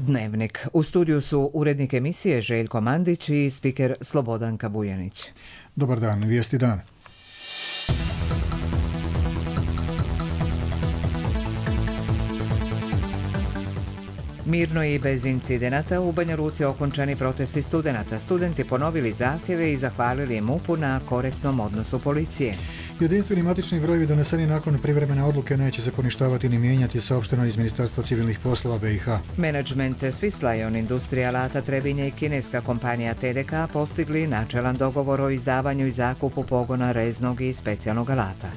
Dnevnik. U studiju su urednik emisije Željko Mandić i spiker Slobodanka Vujanić. Dobar dan, vijesti dan. Mirno i bez incidenata u Banja Luci okončani protesti studenata. Studenti ponovili zahtjeve i zahvalili MUP-u na korektnom odnosu policije. Jedinstveni matični brojevi doneseni nakon privremene odluke neće se poništavati ni mijenjati, saopšteno iz Ministarstva civilnih poslova BiH. Menadžment Swiss Lion Industrija alata Trebinje i kineska kompanija TDK postigli načelan dogovor o izdavanju i zakupu pogona reznog i specijalnog alata.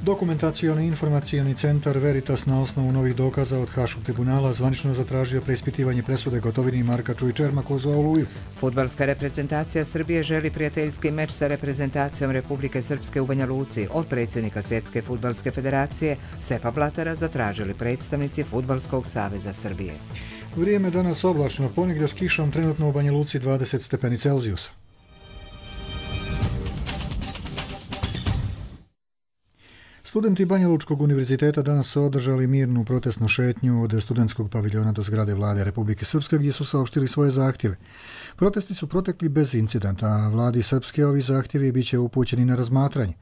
Dokumentacioni informacioni centar Veritas na osnovu novih dokaza od Haškog tribunala zvanično zatražio preispitivanje presude Gotovini, Markaču i Čermaku za Oluju. Fudbalska reprezentacija Srbije želi prijateljski meč sa reprezentacijom Republike Srpske u Banja Luci. Od predsjednika Svjetske fudbalske federacije Sepa Blatara zatražili predstavnici Fudbalskog saveza Srbije. Vrijeme danas oblačno, ponegdje s kišom, trenutno u Banja Luci 20 stepeni Celzijusa. Studenti Banja Lučkog univerziteta danas su održali mirnu protestnu šetnju od studentskog paviljona do zgrade Vlade Republike Srpske gdje su saopštili svoje zahtjeve. Protesti su protekli bez incidenta, a Vladi Srpske ovi zahtjevi bit će upućeni na razmatranje.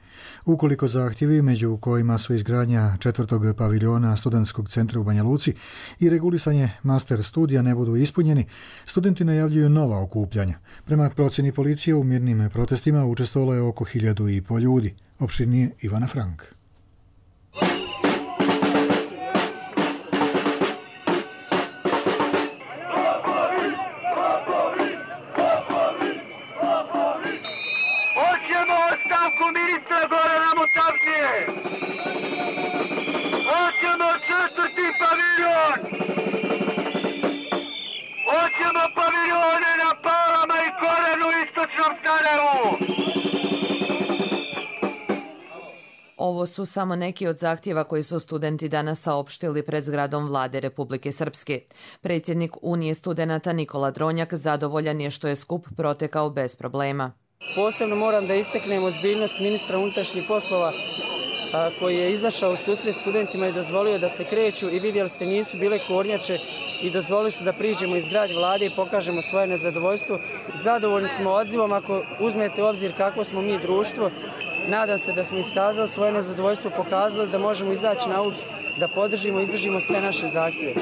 Ukoliko zahtjevi, među kojima su izgradnja 4. paviljona studentskog centra u Banja Luci i regulisanje master studija, ne budu ispunjeni, studenti najavljuju nova okupljanja. Prema procjeni policije u mirnim protestima učestvovalo je oko 1.500 ljudi. Opširnije Ivana Frank. Hoćemo 4. paviljon! Hoćemo paviljone na Palama i Korenu u istočnom Sarajevu! Ovo su samo neki od zahtjeva koji su studenti danas saopštili pred zgradom Vlade Republike Srpske. Predsjednik Unije studenata Nikola Dronjak zadovoljan je što je skup protekao bez problema. Posebno moram da istaknem ozbiljnost ministra unutrašnjih poslova koji je izašao u susret studentima i dozvolio da se kreću i vidjeli ste nisu bile kornjače i dozvolili su da priđemo iz zgrade Vlade i pokažemo svoje nezadovoljstvo. Zadovoljni smo odzivom ako uzmete u obzir kakvo smo mi društvo. Nadam se da smo iskazali svoje nezadovoljstvo, pokazali da možemo izaći na ulicu, da podržimo i izdržimo sve naše zahtjeve.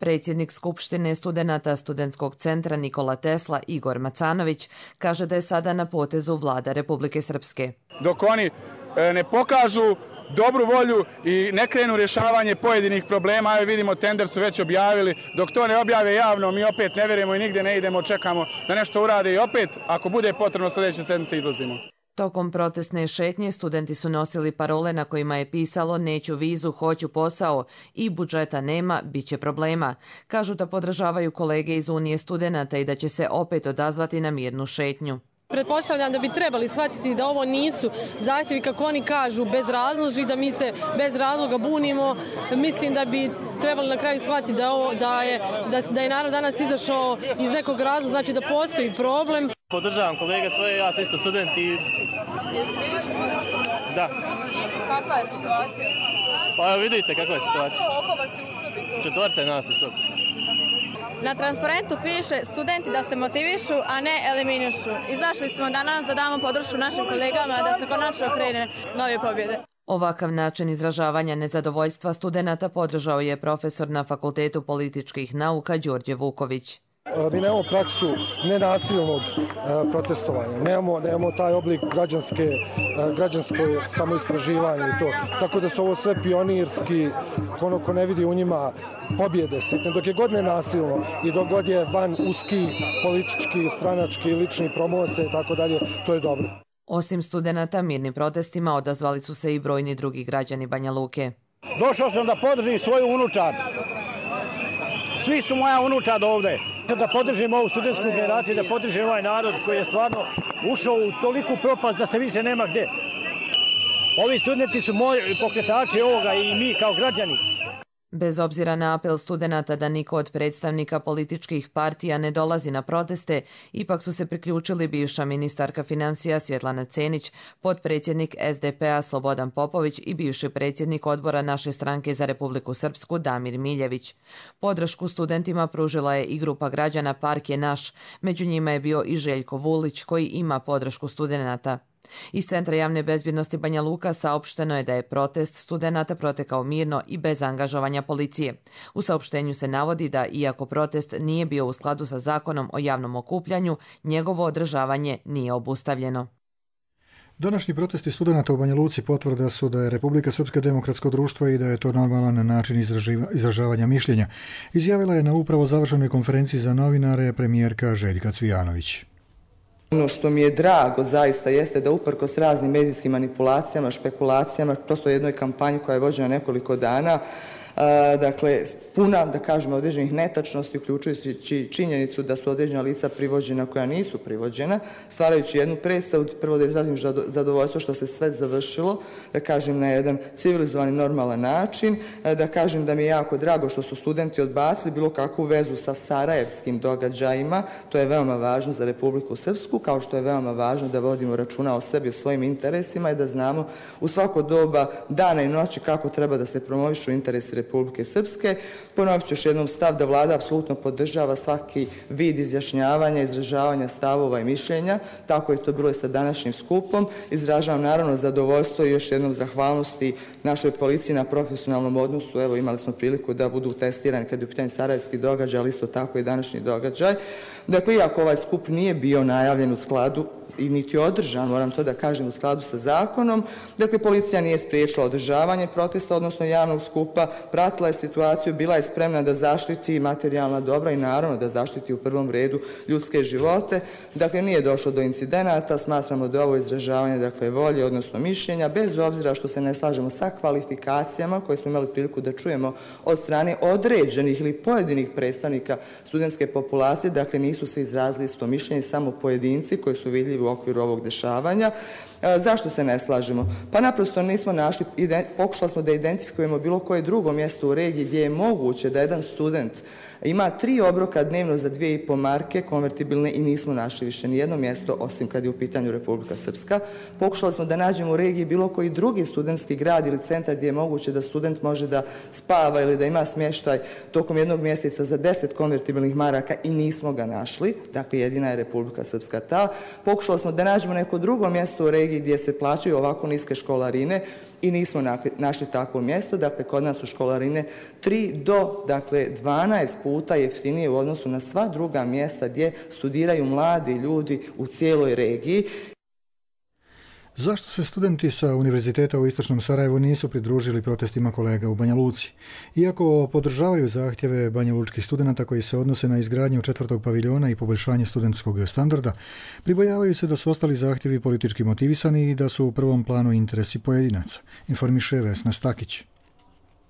Predsjednik Skupštine studenata Studentskog centra Nikola Tesla Igor Macanović kaže da je sada na potezu Vlada Republike Srpske. Dok oni ne pokažu dobru volju i ne krenu rješavanje pojedinih problema, a vidimo tender su već objavili, dok to ne objave javno mi opet ne vjerujemo i nigdje ne idemo, čekamo da nešto urade i opet ako bude potrebno sljedeće sedmice izlazimo. Tokom protestne šetnje studenti su nosili parole na kojima je pisalo neću vizu, hoću posao i budžeta nema, bit će problema. Kažu da podržavaju kolege iz Unije studenata i da će se opet odazvati na mirnu šetnju. Pretpostavljam da bi trebali shvatiti da ovo nisu zahtjevi, kako oni kažu, bez razloži, da mi se bez razloga bunimo. Mislim da bi trebali na kraju shvatiti da je narod danas izašao iz nekog razloga, znači da postoji problem. Podržavam kolega svoje, ja sam isto student i... Živiš u studentskom domu? Da. I kakva je situacija? Pa evo vidite kakva je situacija. Oko vas je u sobi? 4 je nas u sobi. Na transparentu piše studenti da se motivišu, a ne eliminišu. Izašli smo danas da damo podršku našim kolegama da se konačno krene nove pobjede. Ovakav način izražavanja nezadovoljstva studenata podržao je profesor na Fakultetu političkih nauka Đorđe Vuković. Mi nemamo praksu nenasilnog protestovanja, nemamo taj oblik građansko samoistraživanje i to. Tako da su ovo sve pionirski, ko ne vidi u njima pobjede sitne. Dok je god nenasilno i dok god je van uski politički, stranački, lični promocije i tako dalje, to je dobro. Osim studenata, mirnim protestima odazvali su se i brojni drugi građani Banja Luke. Došao sam da podržim svoju unučad. Svi su moja unučad ovdje. Da podržim ovu studentsku generaciju, da podržim ovaj narod koji je stvarno ušao u toliku propast da se više nema gdje. Ovi studenti su moji pokretači ovoga i mi kao građani. Bez obzira na apel studenata da niko od predstavnika političkih partija ne dolazi na proteste, ipak su se priključili bivša ministarka financija Svjetlana Cenić, potpredsjednik SDP-a Slobodan Popović i bivši predsjednik odbora naše stranke za Republiku Srpsku Damir Miljević. Podršku studentima pružila je i grupa građana Park je naš, među njima je bio i Željko Vulić koji ima podršku studenata. Iz Centra javne bezbjednosti Banja Luka saopšteno je da je protest studenata protekao mirno i bez angažovanja policije. U saopštenju se navodi da, iako protest nije bio u skladu sa zakonom o javnom okupljanju, njegovo održavanje nije obustavljeno. Današnji protesti studenata u Banja Luci potvrda su da je Republika Srpska demokratsko društvo i da je to normalan način izražavanja mišljenja, izjavila je na upravo završenoj konferenciji za novinare premijerka Željka Cvijanović. Ono što mi je drago zaista jeste da uprkos raznim medijskim manipulacijama, špekulacijama, prosto jednoj kampanji koja je vođena nekoliko dana, dakle, puna, da kažemo, određenih netačnosti, uključujući činjenicu da su određena lica privođena koja nisu privođena, stvarajući jednu predstavu, prvo da izrazim zadovoljstvo što se sve završilo, da kažem, na jedan civilizovani, normalan način, da kažem da mi je jako drago što su studenti odbacili bilo kakvu vezu sa sarajevskim događajima, to je veoma važno za Republiku Srpsku, kao što je veoma važno da vodimo računa o sebi, o svojim interesima i da znamo u svako doba dana i noći kako treba da se promovišu interesi Republike Srpske. Ponovit ću još jednom stav da vlada apsolutno podržava svaki vid izjašnjavanja, izražavanja stavova i mišljenja. Tako je to bilo i sa današnjim skupom. Izražavam naravno zadovoljstvo i još jednom zahvalnosti našoj policiji na profesionalnom odnosu. Evo, imali smo priliku da budu testirani kad je u pitanju sarajevski događaj, ali isto tako i današnji događaj. Dakle, iako ovaj skup nije bio najavljen u skladu i niti održan, moram to da kažem, u skladu sa zakonom, dakle, policija nije spriječila održavanje protesta, odnosno javnog skupa, pratila je situaciju, bila je spremna da zaštiti materijalna dobra i naravno da zaštiti u prvom redu ljudske živote. Dakle, nije došlo do incidenata, smatramo da ovo izražavanje, dakle, volje, odnosno mišljenja, bez obzira što se ne slažemo sa kvalifikacijama koje smo imali priliku da čujemo od strane određenih ili pojedinih predstavnika studentske populacije, dakle, nisu se izrazili isto mišljenje, samo pojedinci koji su vidljivi u okviru ovog dešavanja. Zašto se ne slažemo? Pa naprosto nismo našli, pokušali smo da identifikujemo bilo koje drugo mjesto u regiji gdje je moguće da jedan student ima 3 obroka dnevno za 2,5 marke konvertibilne i nismo našli više nijedno mjesto osim kad je u pitanju Republika Srpska. Pokušali smo da nađemo u regiji bilo koji drugi studentski grad ili centar gdje je moguće da student može da spava ili da ima smještaj tokom jednog mjeseca za 10 konvertibilnih maraka i nismo ga našli. Dakle, jedina je Republika Srpska ta. Pokušali smo da nađemo neko drugo mjesto u regiji gdje se plaćaju ovako niske školarine i nismo našli takvo mjesto. Dakle, kod nas su školarine 3 do 12 puta jeftinije u odnosu na sva druga mjesta gdje studiraju mladi ljudi u cijeloj regiji. Zašto se studenti sa Univerziteta u Istočnom Sarajevu nisu pridružili protestima kolega u Banja Luci? Iako podržavaju zahtjeve banjalučkih studenata koji se odnose na izgradnju 4. paviljona i poboljšanje studentskog standarda, pribojavaju se da su ostali zahtjevi politički motivisani i da su u prvom planu interesi pojedinaca, informiše Vesna Stakić.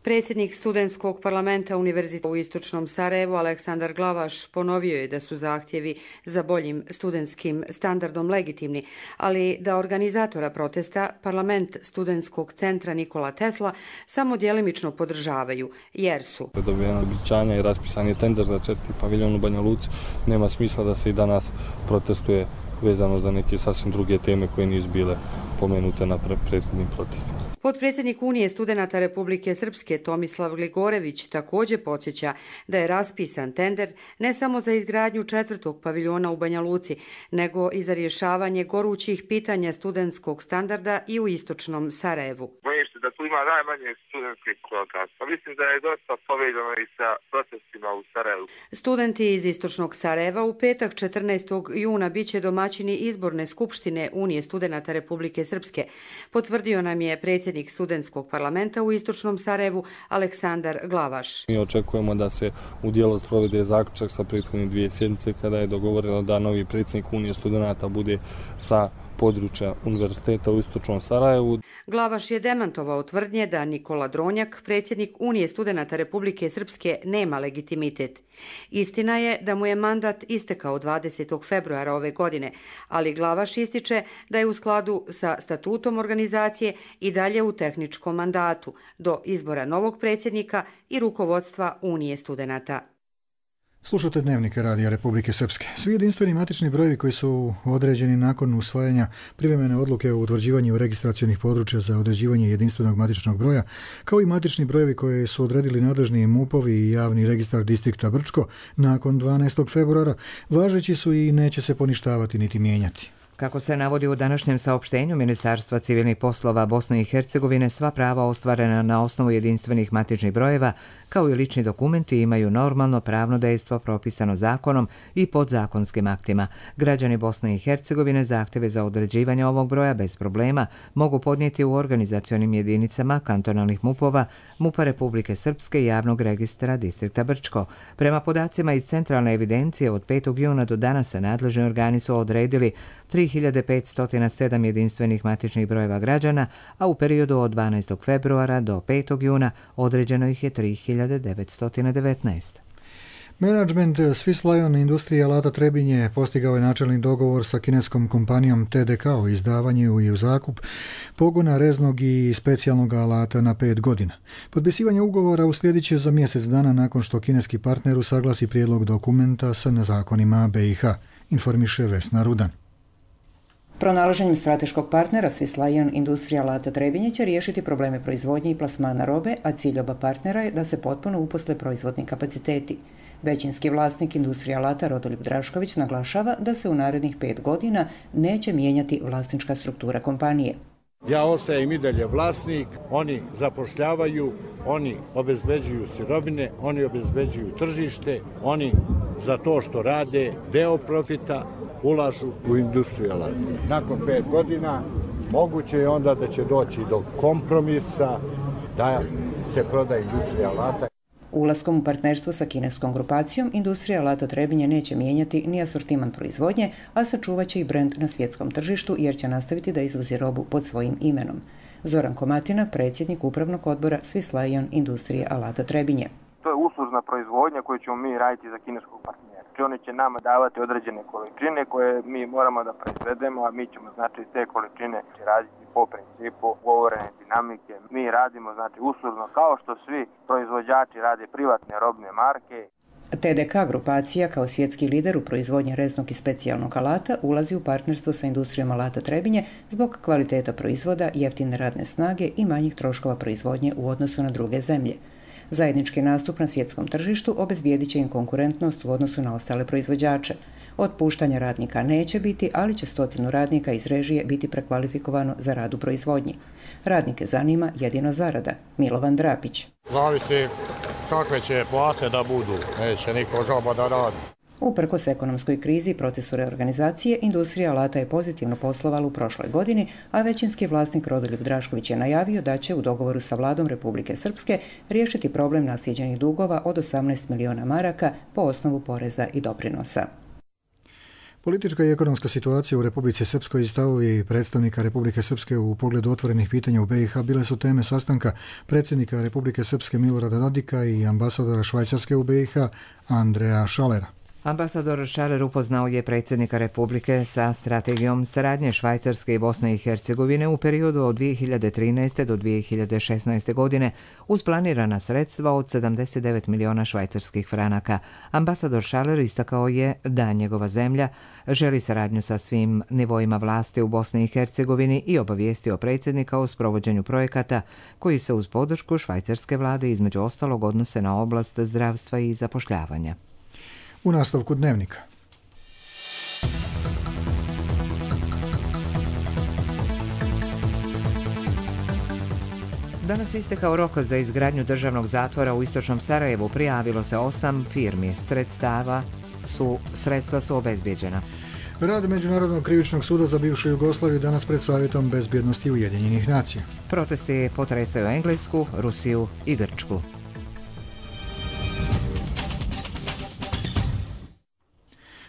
Predsjednik studentskog parlamenta Univerziteta u Istočnom Sarajevu Aleksandar Glavaš ponovio je da su zahtjevi za boljim studentskim standardom legitimni, ali da organizatora protesta parlament studentskog centra Nikola Tesla samo djelimično podržavaju, jer su dobijena obećanja i raspisan je tender za 4. paviljon u Banja Luci. Nema smisla da se i danas protestuje vezano za neke sasvim druge teme koje nisu bile pomenute na prethodnim protestima. Potpredsjednik Unije studenata Republike Srpske Tomislav Gligorević također podsjeća da je raspisan tender ne samo za izgradnju 4. paviljona u Banja Luci, nego i za rješavanje gorućih pitanja studentskog standarda i u Istočnom Sarajevu. Bojim se da tu ima najmanje studentskih protesta. Mislim da je dosta povezano i sa protestima u Sarajevu. Studenti iz Istočnog Sarajeva u petak 14. juna biće domaćini izborne skupštine Unije studenata Republike Srpske, potvrdio nam je predsjednik studentskog parlamenta u Istočnom Sarajevu Aleksandar Glavaš. Mi očekujemo da se u djelo sprovede zaključak sa prethodne 2 sjednice kada je dogovoreno da novi predsjednik Unije studenata bude sa područja univerziteta u istočnom Sarajevu. Glavaš je demantovao tvrdnje da Nikola Dronjak, predsjednik Unije studenata Republike Srpske, nema legitimitet. Istina je da mu je mandat istekao 20. februara ove godine, ali Glavaš ističe da je u skladu sa statutom organizacije i dalje u tehničkom mandatu do izbora novog predsjednika i rukovodstva Unije studenata. Slušate Dnevnike Radija Republike Srpske. Svi jedinstveni matični brojevi koji su određeni nakon usvajanja privremene odluke o utvrđivanju registracionih područja za određivanje jedinstvenog matičnog broja, kao i matični brojevi koje su odredili nadležni MUP-ovi i javni registar distrikta Brčko nakon 12. februara, važeći su i neće se poništavati niti mijenjati. Kako se navodi u današnjem saopštenju Ministarstva civilnih poslova Bosne i Hercegovine, sva prava ostvarena na osnovu jedinstvenih matičnih brojeva, kao i lični dokumenti, imaju normalno pravno dejstvo propisano zakonom i podzakonskim aktima. Građani Bosne i Hercegovine zahtjeve za određivanje ovog broja bez problema mogu podnijeti u organizacionim jedinicama kantonalnih MUP-ova, MUP-a Republike Srpske i javnog registra distrikta Brčko. Prema podacima iz centralne evidencije, od 5. juna do danas nadležni organi su odredili 3507 jedinstvenih matičnih brojeva građana, a u periodu od 12. februara do 5. juna određeno ih je 3919. Menadžment Swiss Lion industrije alata Trebinje postigao je načelni dogovor sa kineskom kompanijom TDK o izdavanju i u zakup pogona reznog i specijalnog alata na 5 godina. Potpisivanje ugovora uslijedit će za mjesec dana nakon što kineski partner usaglasi prijedlog dokumenta sa zakonima BiH, informiše Vesna Rudan. Pronalaženjem strateškog partnera Swiss Lion industrija alata Trebinje će riješiti probleme proizvodnje i plasmana robe, a cilj oba partnera je da se potpuno uposle proizvodni kapaciteti. Većinski vlasnik industrije alata Rodoljub Drašković naglašava da se u narednih 5 godina neće mijenjati vlasnička struktura kompanije. Ja ostajem i dalje vlasnik, oni zapošljavaju, oni obezbeđuju sirovine, oni obezbeđuju tržište, oni za to što rade deo profita ulažu u industriju alata. Nakon 5 godina moguće je onda da će doći do kompromisa da se proda industrija alata. Ulaskom u partnerstvo sa kineskom grupacijom, industrija alata Trebinje neće mijenjati ni asortiman proizvodnje, a sačuvat će i brend na svjetskom tržištu jer će nastaviti da izvozi robu pod svojim imenom. Zoran Komatina, predsjednik upravnog odbora Swiss Lion industrije alata Trebinje. To je uslužna proizvodnja koju ćemo mi raditi za kineskog partnera. Oni će nama davati određene količine koje mi moramo da proizvedemo, a mi ćemo znači te količine raditi po principu ugovorene dinamike. Mi radimo znači uslužno kao što svi proizvođači rade privatne robne marke. TDK grupacija kao svjetski lider u proizvodnji reznog i specijalnog alata ulazi u partnerstvo sa industrijom alata Trebinje zbog kvaliteta proizvoda, jeftine radne snage i manjih troškova proizvodnje u odnosu na druge zemlje. Zajednički nastup na svjetskom tržištu obezbijedit će im konkurentnost u odnosu na ostale proizvođače. Otpuštanja radnika neće biti, ali će 100 radnika iz režije biti prekvalifikovano za rad u proizvodnji. Radnike zanima jedino zarada. Milovan Drapić. Zavisi kakve će plate da budu, neće niko žaba da radi. Uprkos ekonomskoj krizi i procesu reorganizacije, industrija alata je pozitivno poslovala u prošloj godini, a većinski vlasnik Rodoljub Drašković je najavio da će u dogovoru sa vladom Republike Srpske riješiti problem naslijeđenih dugova od 18 miliona maraka po osnovu poreza i doprinosa. Politička i ekonomska situacija u Republici Srpskoj i stavovi predstavnika Republike Srpske u pogledu otvorenih pitanja u BiH bile su teme sastanka predsjednika Republike Srpske Milorada Dodika i ambasadora Švajcarske u BiH Andreja Šalera. Ambasador Šaler upoznao je predsjednika Republike sa strategijom saradnje Švajcarske i Bosne i Hercegovine u periodu od 2013. do 2016. godine uz planirana sredstva od 79 miliona švajcarskih franaka. Ambasador Šaler istakao je da njegova zemlja želi saradnju sa svim nivoima vlasti u Bosni i Hercegovini i obavijestio predsjednika o sprovođenju projekata koji se uz podršku švajcarske vlade između ostalog odnose na oblast zdravstva i zapošljavanja. U nastavku Dnevnika. Danas je istekao rok za izgradnju državnog zatvora u istočnom Sarajevu. Prijavilo se 8 firmi. Sredstva su obezbijeđena. Rad Međunarodnog krivičnog suda za bivšu Jugoslaviju danas pred Savjetom bezbjednosti Ujedinjenih nacija. Protesti potresaju Englesku, Rusiju i Grčku.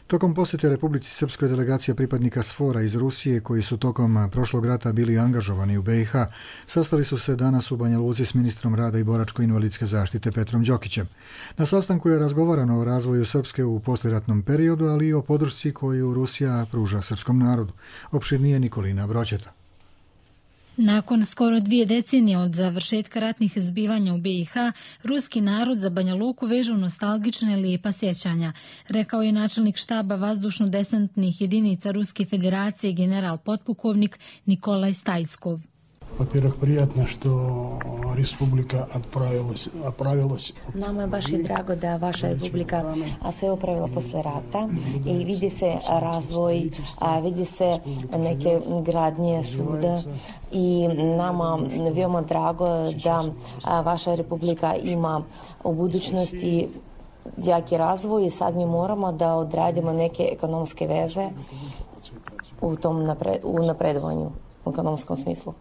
Tokom posjete Republici Srpskoj delegacija pripadnika SFOR-a iz Rusije, koji su tokom prošlog rata bili angažovani u BiH, sastali su se danas u Banja Luci s ministrom rada i boračko-invalidske zaštite Petrom Đokićem. Na sastanku je razgovarano o razvoju Srpske u poslijeratnom periodu, ali i o podršci koju Rusija pruža srpskom narodu. Opširnije Nikolina Broćeta. Nakon skoro 2 decenije od završetka ratnih zbivanja u BiH, ruski narod za Banja Luku veže nostalgične lijepa sjećanja, rekao je načelnik štaba vazdušno-desantnih jedinica Ruske federacije general potpukovnik Nikolaj Stajskov. Во-первых, приятно, что республика оправилась. Nama je baš i drago da vaša republika se opravila posle rata i vidi se razvoj, vidi se neke gradnje svuda i nama veoma drago da vaša republika ima u budućnosti jaki razvoj i sad mi moramo da odradimo neke ekonomske veze u napredovanju u ekonomskom smislu.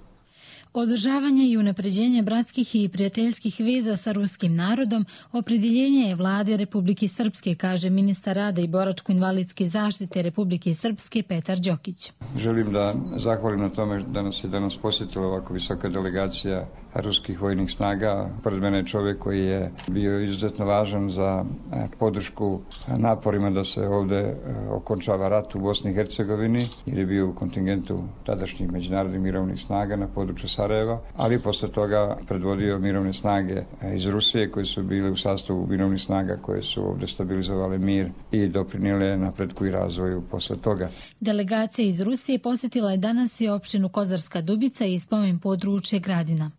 Održavanje i unapređenje bratskih i prijateljskih veza sa ruskim narodom opredjeljenje je vlade Republike Srpske, kaže ministar rada i boračko-invalidske zaštite Republike Srpske Petar Đokić. Želim da zahvalim na tome da nas je danas posjetila ovako visoka delegacija ruskih vojnih snaga. Pored mene je čovjek koji je bio izuzetno važan za podršku naporima da se ovdje okončava rat u Bosni i Hercegovini, jer je bio u kontingentu tadašnjih međunarodnih mirovnih snaga na području Sarajeva, ali posle toga predvodio mirovne snage iz Rusije koji su bili u sastavu mirovnih snaga koje su ovdje stabilizovale mir i doprinijele napretku i razvoju posle toga. Delegacija iz Rusije posjetila je danas i opštinu Kozarska Dubica i spomen područje Gradina.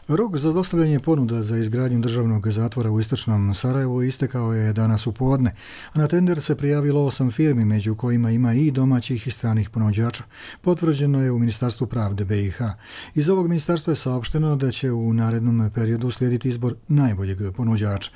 Rok za dostavljanje ponuda za izgradnju državnog zatvora u istočnom Sarajevu istekao je danas u podne, a na tender se prijavilo 8 firmi, među kojima ima i domaćih i stranih ponuđača. Potvrđeno je u Ministarstvu pravde BiH. Iz ovog ministarstva je saopšteno da će u narednom periodu slijediti izbor najboljeg ponuđača.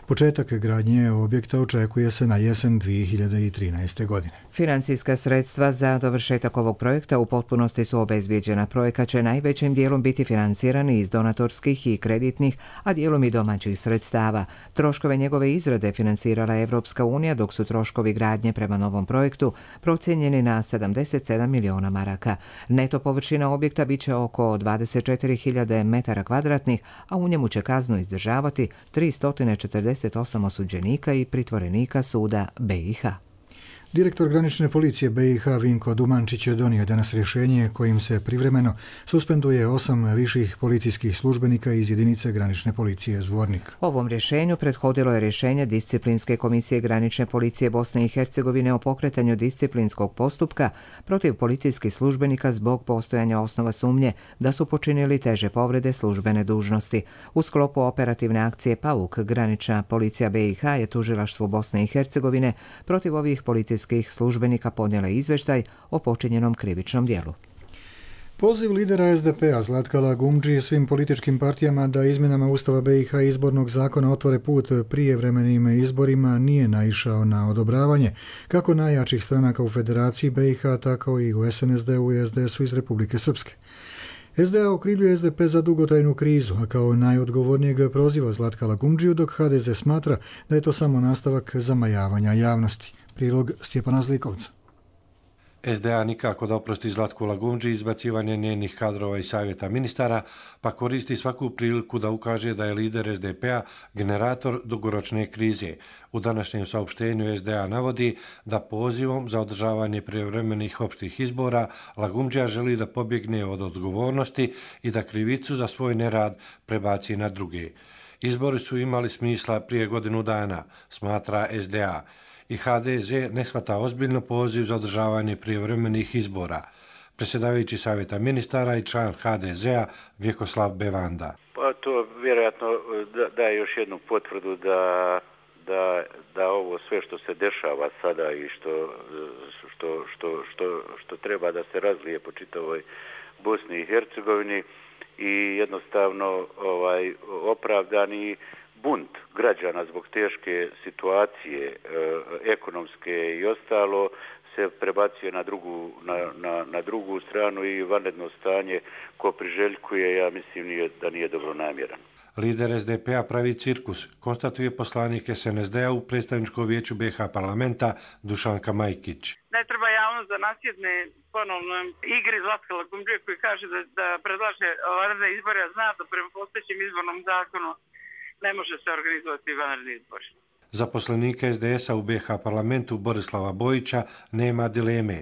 Početak gradnje objekta očekuje se na jesen 2013. godine. Financijska sredstva za dovršetak ovog projekta u potpunosti su obezbijeđena. Projekat će najvećim dijelom biti financiran iz donatorskih i kreditnih, a dijelom i domaćih sredstava. Troškove njegove izrade financirala je Evropska unija, dok su troškovi gradnje prema novom projektu procijenjeni na 77 miliona maraka. Neto površina objekta biće oko 24.000 metara kvadratnih, a u njemu će kaznu izdržavati 348 osuđenika i pritvorenika suda BiH. Direktor granične policije BiH Vinko Dumančić je donio danas rješenje kojim se privremeno suspenduje 8 viših policijskih službenika iz jedinice granične policije Zvornik. Ovom rješenju prethodilo je rješenje Disciplinske komisije granične policije Bosne i Hercegovine o pokretanju disciplinskog postupka protiv policijskih službenika zbog postojanja osnova sumnje da su počinili teže povrede službene dužnosti. U sklopu operativne akcije PAUK granična policija BiH je tužilaštvu Bosne i Hercegovine protiv ovih policijskih službenika podnijela izvještaj o počinjenom krivičnom djelu. Poziv lidera SDP-a Zlatka Lagumdžije svim političkim partijama da izmjenama Ustava BiH i izbornog zakona otvore put prijevremenim izborima nije naišao na odobravanje kako najjačih stranaka u Federaciji BiH, tako i u SNSD-u i SDS-u iz Republike Srpske. SDA okrivljuje SDP za dugotrajnu krizu, a kao najodgovornijeg proziva Zlatka Lagumdžiju, dok HDZ smatra da je to samo nastavak zamajavanja javnosti. Prilog Stjepana Zlikovca. SDA nikako da oprosti Zlatku Lagumdži izbacivanje njenih kadrova i savjeta ministara, pa koristi svaku priliku da ukaže da je lider SDP-a generator dugoročne krize. U današnjem saopštenju SDA navodi da pozivom za održavanje prijevremenih opštih izbora Lagumdžija želi da pobjegne od odgovornosti i da krivicu za svoj nerad prebaci na druge. Izbori su imali smisla prije godinu dana, smatra SDA. I HDZ ne shvata ozbiljno poziv za održavanje prijevremenih izbora. Predsjedavajući savjeta ministara i član HDZ-a Vjekoslav Bevanda. Pa to vjerojatno daje još jednu potvrdu da ovo sve što se dešava sada i što treba da se razlije po čitavoj Bosni i Hercegovini i jednostavno opravdani bunt građana zbog teške situacije ekonomske i ostalo se prebacuje na drugu stranu i vanredno stanje ko priželjkuje, ja mislim da nije dobro namjeran. Lider SDP-a pravi cirkus, konstatuje poslanik SNSD-a u predstavničkom vijeću BiH parlamenta Dušanka Majkić. Ne treba javnost da nasjedne ponovno igri Zlatka Lagumdžije koji kaže da predlaže vanredne izbore, a zna da prema postojećem izbornom zakonu ne može se organizovati vanredni izbori. Zaposlenika SDS-a u BiH parlamentu Borislava Bojića nema dileme.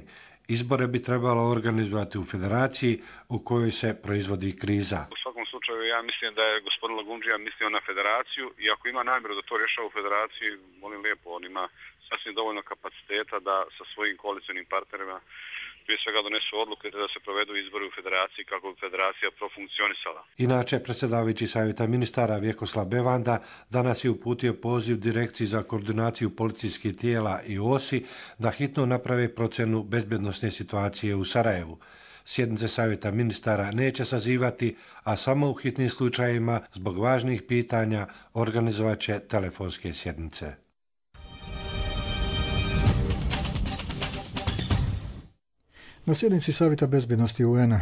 Izbore bi trebalo organizovati u federaciji u kojoj se proizvodi kriza. U svakom slučaju ja mislim da je gospodin Lagumdžija mislio na federaciju i ako ima namjeru da to rješava u federaciji, molim lijepo, on ima sasvim dovoljno kapaciteta da sa svojim koalicijnim partnerima prije svega donesu odluke da se provedu izbori u federaciji kako bi federacija profunkcionisala. Inače, predsjedavajući savjeta ministara Vjekoslav Bevanda danas je uputio poziv Direkciji za koordinaciju policijskih tijela i OSI da hitno naprave procjenu bezbjednosne situacije u Sarajevu. Sjednice savjeta ministara neće sazivati, a samo u hitnim slučajevima zbog važnih pitanja organizovat će telefonske sjednice. Na sjednici Savjeta bezbjednosti UN-a,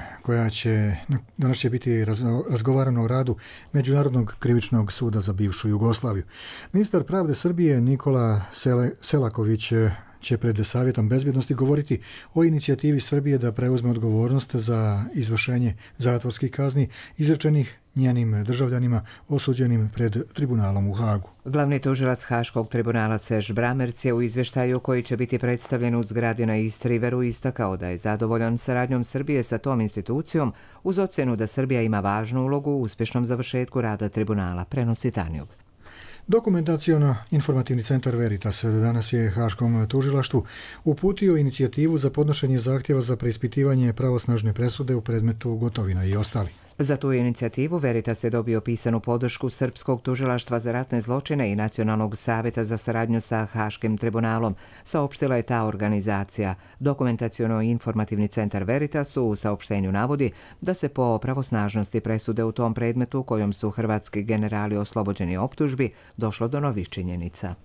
danas će biti razgovarano o radu Međunarodnog krivičnog suda za bivšu Jugoslaviju. Ministar pravde Srbije Nikola Selaković će pred Savjetom bezbjednosti govoriti o inicijativi Srbije da preuzme odgovornost za izvršenje zatvorskih kazni izrečenih njenim državljanima osuđenim pred tribunalom u Hagu. Glavni tužilac Haškog tribunala Serž Bramerc je u izvještaju koji će biti predstavljen u zgradi na East Riveru istakao da je zadovoljan saradnjom Srbije sa tom institucijom uz ocjenu da Srbija ima važnu ulogu u uspješnom završetku rada tribunala, prenosi Tanjug. Dokumentaciono-informativni centar Veritas danas je Haškom tužilaštvu uputio inicijativu za podnošenje zahtjeva za preispitivanje pravosnažne presude u predmetu Gotovina i ostali. Za tu inicijativu Veritas je dobio pisanu podršku Srpskog tužilaštva za ratne zločine i Nacionalnog savjeta za saradnju sa Haškim tribunalom, saopštila je ta organizacija. Dokumentaciono-informativni centar Veritas u saopštenju navodi da se po pravosnažnosti presude u tom predmetu kojom su hrvatski generali oslobođeni optužbi došlo do novih činjenica.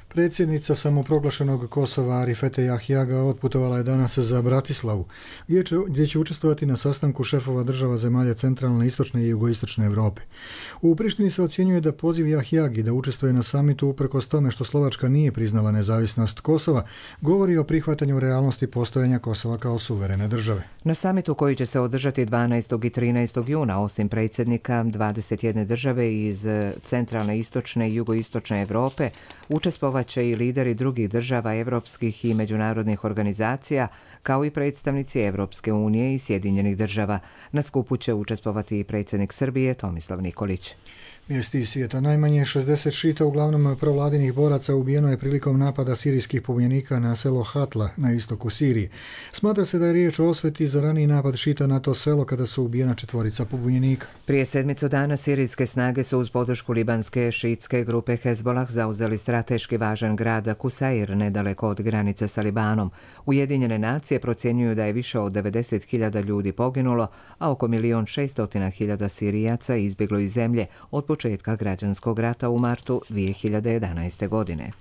Predsjednica samoproglašenog Kosova Arifete Jahjaga otputovala je danas za Bratislavu, gdje će učestvovati na sastanku šefova država zemalja centralne, istočne i jugoistočne Europe. U Prištini se ocjenjuje da poziv Jahjagi da učestvuje na samitu uprkos tome što Slovačka nije priznala nezavisnost Kosova, govori o prihvatanju realnosti postojanja Kosova kao suverene države. Na samitu koji će se održati 12. i 13. juna, osim predsjednika 21 države iz centralne, istočne i jugoistočne Europe, učestvovaće i lideri drugih država evropskih i međunarodnih organizacija, kao i predstavnici Evropske unije i Sjedinjenih država. Na skupu će učestvovati i predsjednik Srbije Tomislav Nikolić. Vijesti iz svijeta. Najmanje 60 šita, uglavnom provladinih boraca, ubijeno je prilikom napada sirijskih pobunjenika na selo Hatla na istoku Sirije. Smatra se da je riječ o osveti za raniji napad šita na to selo kada su ubijena 4 pobunjenika. Prije 7 dana sirijske snage su uz podršku libanske šitske grupe Hezbolah zauzeli strateški važan grad Kusair nedaleko od granice sa Libanom. Ujedinjene nacije procjenjuju da je više od 90.000 ljudi poginulo, a oko 1.600.000 Sirijaca izbjeglo iz zemlje od početka građanskog rata u martu 2011. godine.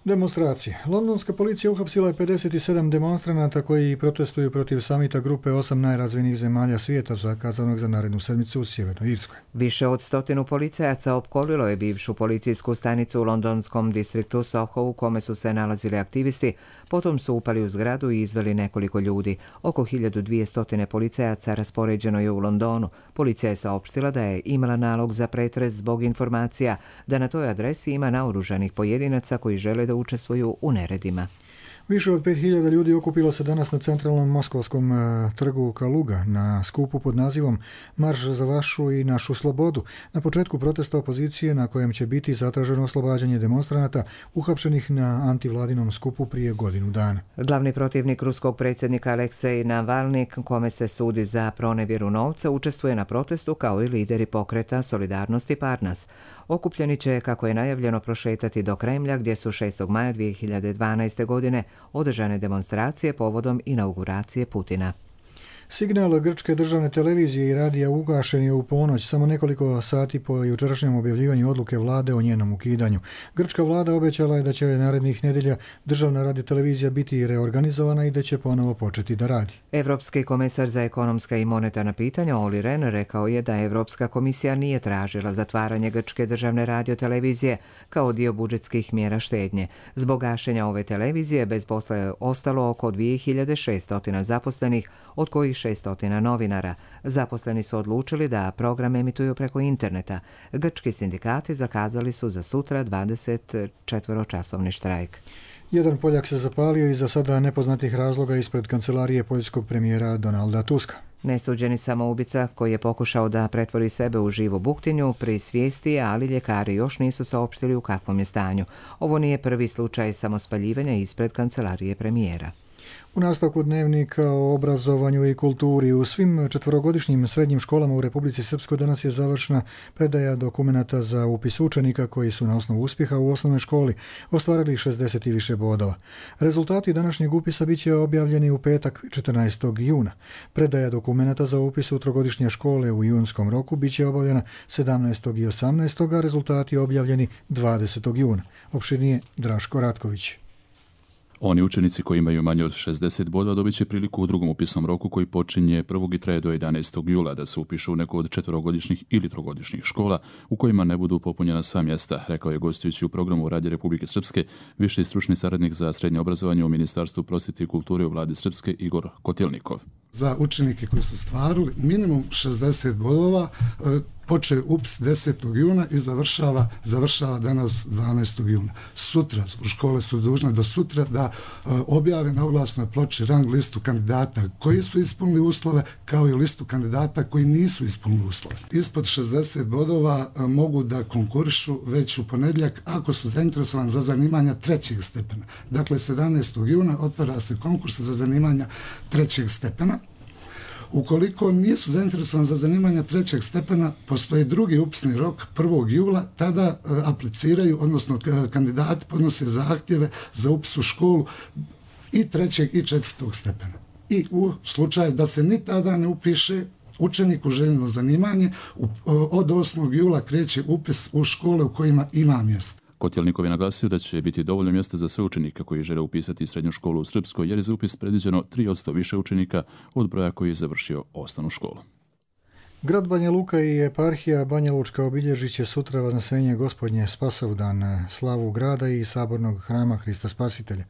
Demonstracije. Londonska policija uhapsila je 57 demonstranata koji protestuju protiv samita grupe 8 najrazvijenijih zemalja svijeta zakazanog za narednu sedmicu u Sjevernoj Irskoj. Više od 100 policajaca opkolilo je bivšu policijsku stanicu u londonskom distriktu Soho u kome su se nalazili aktivisti, potom su upali u zgradu i izveli nekoliko ljudi. Oko 1200 policajaca raspoređeno je u Londonu. Policija je saopštila da je imala nalog za pretres zbog informacija da na toj adresi ima naoružanih pojedinaca koji žele da učestvuju u neredima. Više od 5000 ljudi okupilo se danas na centralnom moskovskom trgu Kaluga na skupu pod nazivom Marš za vašu i našu slobodu. Na početku protesta opozicije na kojem će biti zatraženo oslobađanje demonstranata uhapšenih na antivladinom skupu prije godinu dana. Glavni protivnik ruskog predsjednika Aleksej Navalni, kome se sudi za pronevjeru novca, učestvuje na protestu kao i lideri pokreta Solidarnosti Parnas. Okupljeni će, kako je najavljeno, prošetati do Kremlja gdje su 6. maja 2012. godine održane demonstracije povodom inauguracije Putina. Signal grčke državne televizije i radija ugašen je u ponoć, samo nekoliko sati po jučerašnjem objavljivanju odluke vlade o njenom ukidanju. Grčka vlada obećala je da će narednih nedjelja državna radiotelevizija biti reorganizovana i da će ponovo početi da radi. Evropski komesar za ekonomska i monetarna pitanja Olli Rehn rekao je da Evropska komisija nije tražila zatvaranje grčke državne radiotelevizije kao dio budžetskih mjera štednje. Zbog gašenja ove televizije bez posla je ostalo oko 2600 zaposlenih, od kojih 600 novinara. Zaposleni su odlučili da program emituju preko interneta. Grčki sindikati zakazali su za sutra 24-časovni štrajk. Jedan Poljak se zapalio iz za sada nepoznatih razloga ispred kancelarije poljskog premijera Donalda Tuska. Nesuđeni samoubica koji je pokušao da pretvori sebe u živu buktinju pri svijesti je, ali ljekari još nisu saopštili u kakvom je stanju. Ovo nije prvi slučaj samospaljivanja ispred kancelarije premijera. U nastavku dnevnika o obrazovanju i kulturi u svim četverogodišnjim srednjim školama u Republici Srpskoj danas je završena predaja dokumenata za upis učenika koji su na osnovu uspjeha u osnovnoj školi ostvarili 60 i više bodova. Rezultati današnjeg upisa bit će objavljeni u petak 14. juna. Predaja dokumenata za upis u trogodišnje škole u junskom roku bit će obavljena 17. i 18. a rezultati objavljeni 20. juna. Opširnije Draško Ratković. Oni učenici koji imaju manje od 60 bodova dobit će priliku u drugom upisnom roku koji počinje 1. i traje do 11. jula da se upišu u neku od četverogodišnjih ili trogodišnjih škola u kojima ne budu popunjena sva mjesta, rekao je gostujući u programu Radija Republike Srpske viši stručni saradnik za srednje obrazovanje u Ministarstvu prosvjete i kulture u vladi Srpske Igor Kotilnikov. Za učenike koji su stvarili minimum 60 bodova počeo upis 10. juna i završava danas 12. juna. Sutra, škole su dužne do sutra da objave na oglasnoj ploči rang listu kandidata koji su ispunili uslove, kao i listu kandidata koji nisu ispunili uslove. Ispod 60 bodova mogu da konkurišu već u ponedjeljak ako su zainteresovani za zanimanja trećeg stepena. Dakle, 17. juna otvara se konkurs za zanimanja trećeg stepena. Ukoliko nisu zainteresovani za zanimanja trećeg stepena, postoji drugi upisni rok 1. jula, tada apliciraju, odnosno kandidati podnose zahtjeve za upis u školu i trećeg i četvrtog stepena. I u slučaju da se ni tada ne upiše učenik u željeno zanimanje, od 8. jula kreće upis u škole u kojima ima mjesta. Kotilnikov je naglasio da će biti dovoljno mjesta za sve učenike koji žele upisati srednju školu u Srpskoj, jer je za upis predviđeno 3% više učenika od broja koji je završio osnovnu školu. Grad Banja Luka i eparhija Banja Lučka obilježit će sutra Vaznesenje Gospodnje Spasovdan, slavu grada i sabornog hrama Hrista Spasitelja.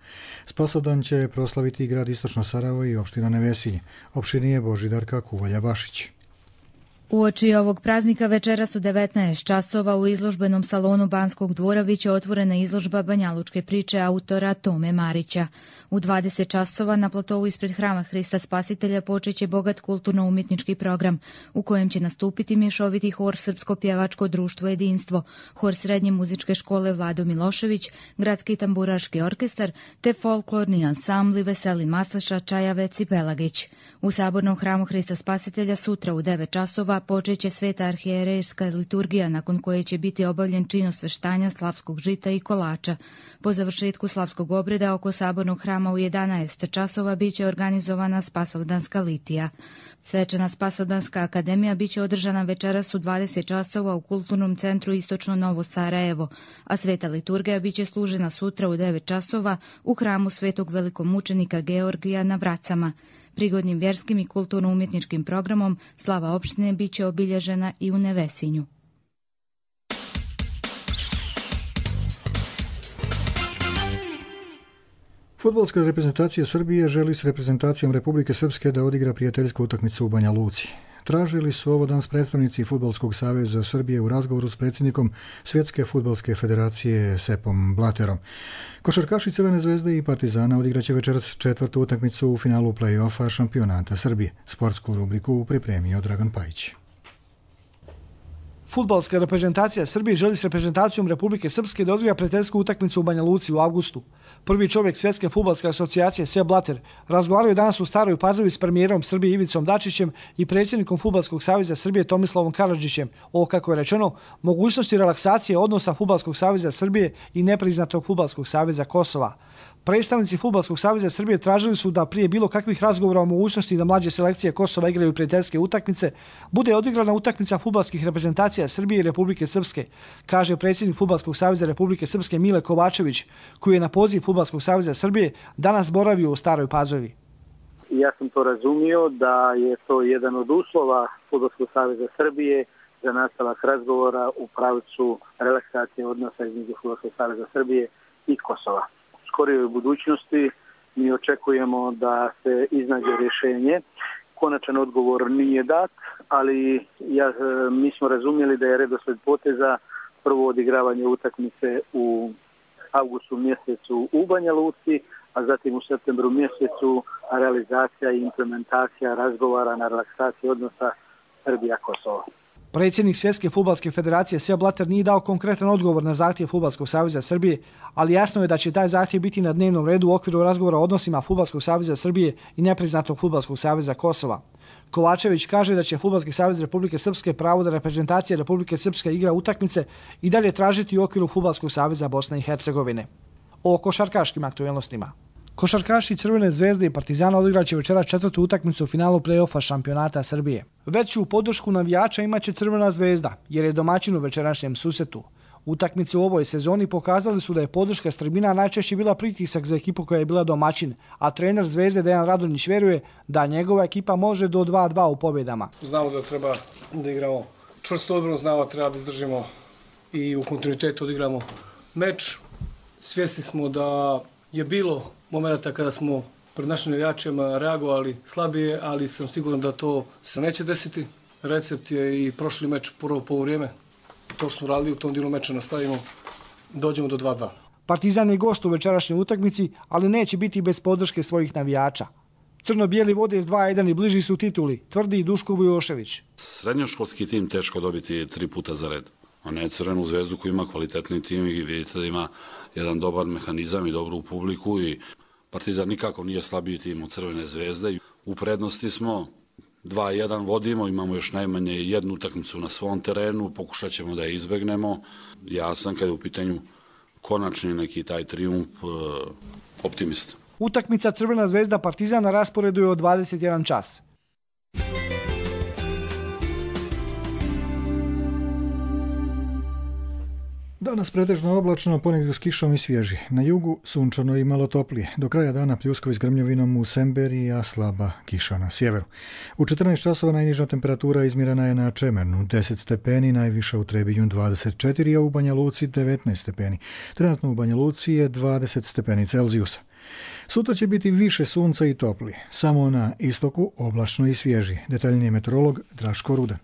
Spasovdan će proslaviti i grad Istočno Sarajevo i opština Nevesinje. Opširnije Božidarka Kuvalja-Bašić. Uoči ovog praznika večeras u 19 časova u izložbenom salonu Banskog dvora biće otvorena izložba banjalučke priče autora Tome Marića. U 20 časova na platovu ispred hrama Hrista Spasitelja počeće bogat kulturno-umjetnički program u kojem će nastupiti mješoviti hor Srpsko pjevačko društvo Jedinstvo, hor Srednje muzičke škole Vlado Milošević, Gradski tamburaški orkestar te folklorni ansambli Veseli Maslaša, Čajavec i Pelagić. U sabornom hramu Hrista Spasitelja sutra u 9 časova počeće sveta arhijerejska liturgija nakon koje će biti obavljen čin osveštanja slavskog žita i kolača. Po završetku slavskog obreda oko sabornog hrama u 11 časova biće organizovana Spasovdanska litija. Svečana Spasovdanska akademija biće održana večeras u 20 časova u Kulturnom centru Istočno Novo Sarajevo, a sveta liturgija biće služena sutra u 9 časova u hramu svetog velikomučenika Georgija na Vracama. Prigodnim vjerskim i kulturno-umjetničkim programom slava opštine biće obilježena i u Nevesinju. Fudbalska reprezentacija Srbije želi s reprezentacijom Republike Srpske da odigra prijateljsku utakmicu u Banja Luci. Tražili su ovo danas predstavnici Fudbalskog saveza Srbije u razgovoru s predsjednikom Svjetske fudbalske federacije Sepom Blaterom. Košarkaši Crvene zvezde i Partizana odigraće večeras četvrtu utakmicu u finalu play-offa šampionata Srbije. Sportsku rubriku pripremio Dragan Pajić. Fudbalska reprezentacija Srbije želi s reprezentacijom Republike Srpske da odigra prijateljsku utakmicu u Banja Luci u avgustu. Prvi čovjek Svjetske fudbalske asocijacije Sepp Blatter razgovarao je danas u Staroj Pazovi s premijerom Srbije Ivicom Dačićem i predsjednikom Fudbalskog saveza Srbije Tomislavom Karadžićem o, kako je rečeno, mogućnosti relaksacije odnosa Fudbalskog saveza Srbije i nepriznatog Fudbalskog saveza Kosova. Predstavnici Fudbalskog saveza Srbije tražili su da prije bilo kakvih razgovora o mogućnosti da mlađe selekcije Kosova igraju prijateljske utakmice, bude odigrana utakmica fudbalskih reprezentacija Srbije i Republike Srpske, kaže predsjednik Fudbalskog saveza Republike Srpske Mile Kovačević, koji je na poziv Fudbalskog saveza Srbije danas boravio u Staroj Pazovi. Ja sam to razumio da je to jedan od uslova Fudbalskog saveza Srbije za nastavak razgovora u pravcu relaksacije odnosa između Fudbalskog saveza Srbije i Kosova. U skorijoj budućnosti mi očekujemo da se iznađe rješenje. Konačan odgovor nije dat, ali mi smo razumjeli da je redosled poteza prvo odigravanje utakmice u avgustu mjesecu u Banja Luci, a zatim u septembru mjesecu realizacija i implementacija razgovara na relaksaciji odnosa Srbija-Kosovo. Predsjednik Svjetske fudbalske federacije Sepp Blatter nije dao konkretan odgovor na zahtjev Fudbalskog saveza Srbije, ali jasno je da će taj zahtjev biti na dnevnom redu u okviru razgovora o odnosima Fudbalskog saveza Srbije i nepriznatog Fudbalskog saveza Kosova. Kovačević kaže da će Fudbalski savez Republike Srpske pravo da reprezentacija Republike Srpske igra utakmice i dalje tražiti u okviru Fudbalskog saveza Bosne i Hercegovine. O košarkaškim aktuelnostima. Košarkaši Crvene zvezde i Partizana odigraće večera 4. utakmicu u finalu play-offa šampionata Srbije. Veću podršku navijača imaće Crvena zvezda, jer je domaćin u večerašnjem susretu. Utakmice u ovoj sezoni pokazali su da je podrška s tribina najčešće bila pritisak za ekipu koja je bila domaćin, a trener Zvezde Dejan Radonjić vjeruje da njegova ekipa može do 2-2 u pobjedama. Znamo da treba da igramo čvrsto odbranu, znamo da treba da izdržimo i u kontinuitetu odigramo meč. Svjesni smo da je bilo momenta kada smo pred našim navijačima reagovali slabije, ali sam siguran da to se neće desiti. Recept je i prošli meč prvo poluvrijeme. To što smo radili u tom dijelu meča nastavimo, dođemo do 2-2. Partizan je gost u večerašnjoj utakmici, ali neće biti bez podrške svojih navijača. Crno-bijeli vode s 2-1 i bliži su tituli, tvrdi Duško Vujošević. Srednjoškolski tim teško dobiti 3 puta za red. A ne Crvenu zvezdu koji ima kvalitetni tim i vidite da ima jedan dobar mehanizam i dobru publiku i Partizan nikako nije slabiji tim od Crvene zvezde. U prednosti smo, 2-1 vodimo, imamo još najmanje jednu utakmicu na svom terenu, pokušat ćemo da je izbegnemo. Ja sam kada je u pitanju konačni neki taj trijumf optimista. Utakmica Crvena zvezda Partizan na rasporedu je od 21 čas. Danas pretežno oblačno, ponegdje s kišom i svježi. Na jugu sunčano i malo toplije. Do kraja dana pljuskovi s grmljovinom u Semberiji, a slaba kiša na sjeveru. U 14 časova najniža temperatura izmjerena je na Čemernu 10 stepeni, najviša u Trebinju 24, a u Banja Luci 19 stepeni. Trenutno u Banja Luci je 20 stepeni Celzijusa. Sutra će biti više sunca i toplije. Samo na istoku oblačno i svježi. Detaljniji meteorolog Draško Rudan.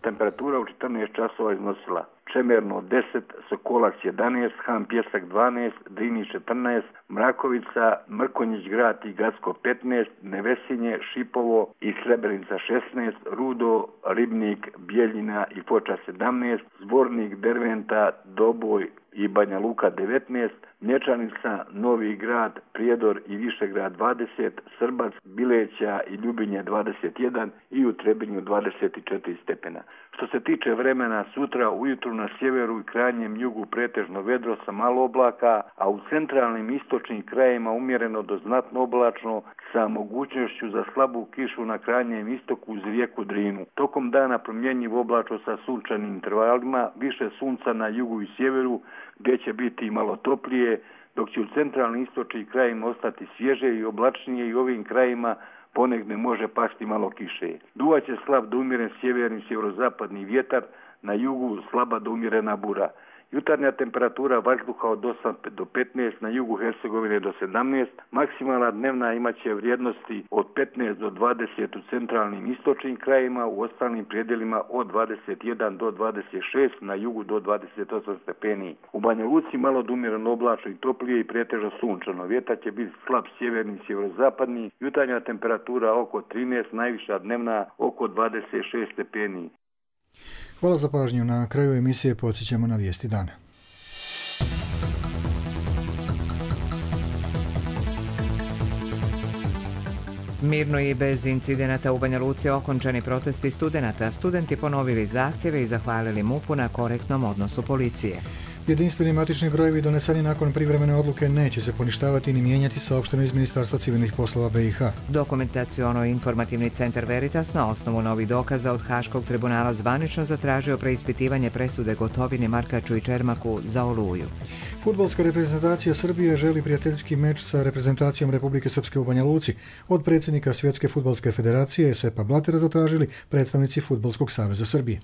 Temperatura u 14 časova iznosila Čemerno 10, Sokolac 11, Han Pjesak 12, Drinić 14, Mrakovica, Mrkonjić grad i Gacko 15, Nevesinje, Šipovo i Srebrenica 16, Rudo, Ribnik, Bijeljina i Foča 17, Zvornik, Derventa, Doboj i Banja Luka 19, Mlječanica, Novi grad, Prijedor i Višegrad 20, Srbac, Bileća i Ljubinje 21 i u Trebinju 24 stepena. Što se tiče vremena, sutra ujutru na sjeveru i krajnjem jugu pretežno vedro sa malo oblaka, a u centralnim istočnim krajevima umjereno do znatno oblačno sa mogućnošću za slabu kišu na krajnjem istoku uz rijeku Drinu. Tokom dana promjenjivo oblačno sa sunčanim intervalima, više sunca na jugu i sjeveru gdje će biti malo toplije, dok će u centralnim istočnim krajima ostati svježe i oblačnije i ovim krajima ponegdje može pasti malo kiše. Duvaće slab do umjeren sjeverni sjeverozapadni vjetar, na jugu slaba do umjerena bura. Jutarnja temperatura vazduha od 8 do 15, na jugu Hercegovine do 17, maksimalna dnevna imaće vrijednosti od 15 do 20 u centralnim istočnim krajima, u ostalim predjelima od 21 do 26, na jugu do 28 stepeni. U Banja Luci malo do umjereno oblačno i toplije i pretežno sunčano. Vjetar će biti slab sjeverni sjeverozapadni, jutarnja temperatura oko 13, najviša dnevna oko 26 stepeni. Hvala za pažnju. Na kraju emisije podsjećamo na vijesti dana. Mirno i bez incidenata u Banja Luci okončani protesti studenata. Studenti ponovili zahtjeve i zahvalili MUP-u na korektnom odnosu policije. Jedinstveni matični brojevi doneseni nakon privremene odluke neće se poništavati ni mijenjati, saopšteno iz Ministarstva civilnih poslova BiH. Dokumentaciono-informativni centar Veritas na osnovu novih dokaza od Haškog tribunala zvanično zatražio preispitivanje presude Gotovini, Markaču i Čermaku za Oluju. Fudbalska reprezentacija Srbije želi prijateljski meč sa reprezentacijom Republike Srpske u Banja Luci. Od predsjednika Svjetske fudbalske federacije Sepa Blatera zatražili predstavnici Fudbalskog saveza Srbije.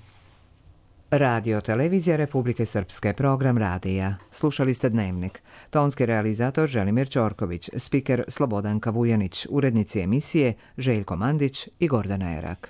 Radio televizija Republike Srpske, program radija. Slušali ste Dnevnik. Tonski realizator Želimir Ćorković, spiker Slobodanka Vujanić, urednici emisije Željko Mandić i Gordana Erak.